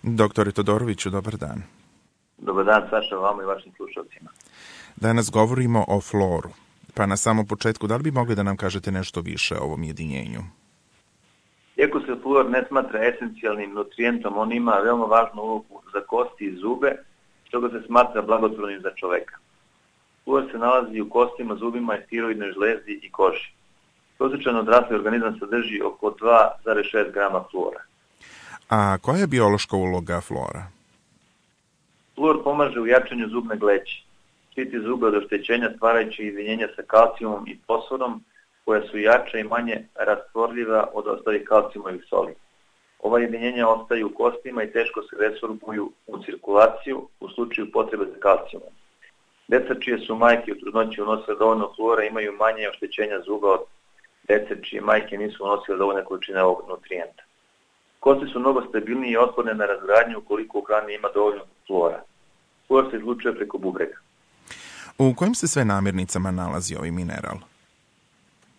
Doktore Todoroviću, dobar dan. Dobar dan, Saša, vama i vašim slušalcima. Danas govorimo o floru. Pa na samom početku, da li bi mogli da nam kažete nešto više o ovom jedinjenju? Iako se fluor ne smatra esencijalnim nutrijentom, on ima veoma važnu ulogu za kosti i zube, što ga se smatra blagotvornim za čoveka. Fluor se nalazi u kostima, zubima i tiroidnoj žlezdi i koži. Prosječan odrasli organizam sadrži oko 2,6 grama fluora. A koja je biološka uloga flora? Fluor pomaže u jačanju zubne gleće. Štiti zube od oštećenja stvarajući jedinjenja sa kalcijumom i fosforom, koja su jača i manje rastvorljiva od ostalih kalcijumovih soli. Ova jedinjenja ostaju u kostima i teško se resorbuju u cirkulaciju u slučaju potrebe za kalcijumom. Deca čije su majke u trudnoći unosile dovoljno fluora imaju manje oštećenja zuba od dece čije majke nisu unosile dovoljne količine ovog nutrijenta. Kosti su mnogo stabilnije i otporne na razgradnju ukoliko u hrani ima dovoljno fluora. Fluor se izlučuje preko bubrega. U kojim se sve namirnicama nalazi ovaj mineral?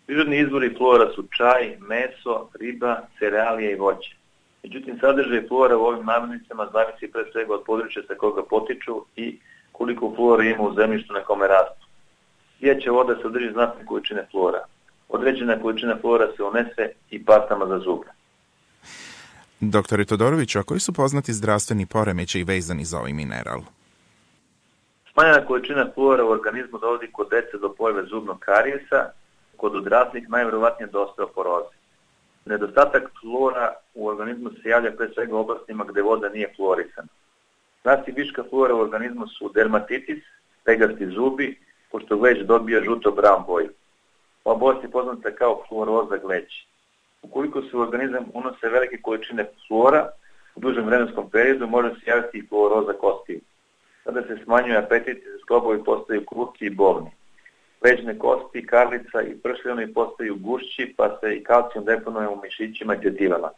Prirodni izvori fluora su čaj, meso, riba, cerealije i voće. Međutim, sadržaj fluora u ovim namirnicama zavisi pre svega od područja sa koga potiču i koliko fluora ima u zemljištu na kome rastu. Pijaća voda sadrži znatne količine fluora. Određena količina fluora se unese i pastama za zube. Doktore Todoroviću, a koji su poznati zdravstveni poremećaji vezani za ovaj mineral? Smanjena količina fluora u organizmu dovodi kod dece do pojave zubnog karijesa, kod odraslih najvjerovatnije do osteoporoze. Nedostatak fluora u organizmu se javlja pre svega u oblastima gde voda nije fluorisana. Znaci viška fluora u organizmu su dermatitis, pegasti zubi, pošto gleć dobija žuto-brown boju. Ova bolest je poznata kao fluoroza gleći. Ukoliko se u organizam unose velike količine fluora, u dužem vremenskom periodu može se javiti i fluoroza kostiju. Tada se smanjuje apetit i sklobovi postaju kruti i bolni. Leđne kosti, karlica i pršljani postaju gušći, pa se i kalcijum deponuje u mišićima i tetivama.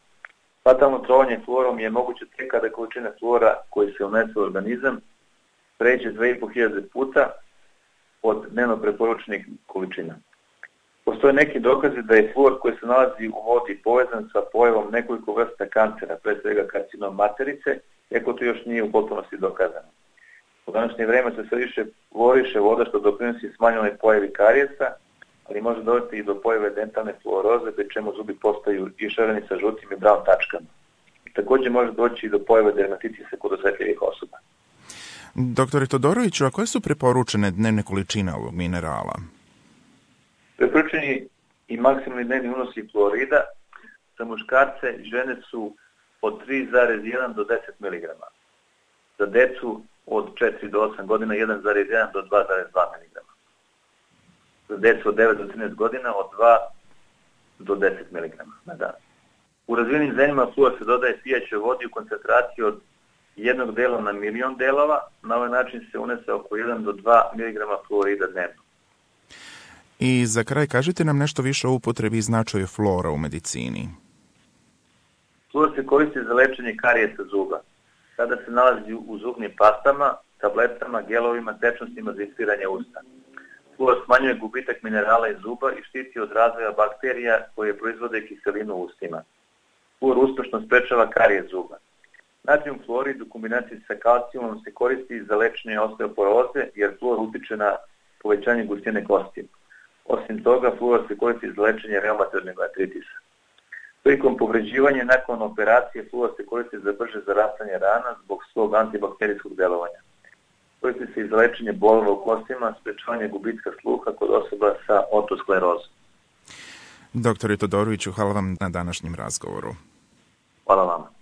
Fatalno trovanje fluorom je moguće tek kada količina fluora koji se unese u organizam pređe 2500 puta od dnevno preporučenih količina. Postoje neki dokazi da je fluor koji se nalazi u vodi povezan sa pojavom nekoliko vrsta kancera, pre svega karcinom materice, iako to još nije u potpunosti dokazano. U današnje vreme se sve više fluoriše voda što doprinosi smanjenoj pojavi karijesa, ali može dovesti i do pojave dentalne fluoroze, pri čemu zubi postaju išareni sa žutim i brown tačkama. Također može doći i do pojave dermatitisa kod osjetljivih osoba. Doktore Todoroviću, a koje su preporučene dnevne količine ovog minerala? Preporučeni i maksimalni dnevni unosi fluorida za muškarce i žene su od 3,1 do 10 mg. Za decu od 4 do 8 godina 1,1 do 2,2 mg. Za decu od 9 do 13 godina od 2 do 10 mg na dan. U razvijenim zemljama fluor se dodaje pijaćoj vodi u koncentraciji od 1 dela na milion delova. Na ovaj način se unese oko 1 do 2 mg fluorida dnevno. I za kraj, kažite nam nešto više o upotrebi i značaju fluora u medicini. Fluor se koristi za lečenje karijesa zuba. Sada se nalazi u zubnim pastama, tabletama, gelovima, tečnostima za ispiranje usta. Fluor smanjuje gubitak minerala iz zuba i štiti od razvoja bakterija koje proizvode kiselinu u ustima. Fluor uspešno sprečava karijes zuba. Natrijum fluorid u kombinaciji sa kalcijumom se koristi za lečenje osteoporoze jer fluor utiče na povećanje gustine kosti. Osim toga, fluor se koristi za lečenje reumatoidnog artritisa. Prilikom povređivanja nakon operacije fluor se koristi za brže zarastanje rana zbog svog antibakterijskog delovanja. Koristi se i za lečenje bolova u kostima, sprečavanje gubitka sluha kod osoba sa otosklerozom. Doktore Todoroviću, hvala vam na današnjem razgovoru. Hvala vama.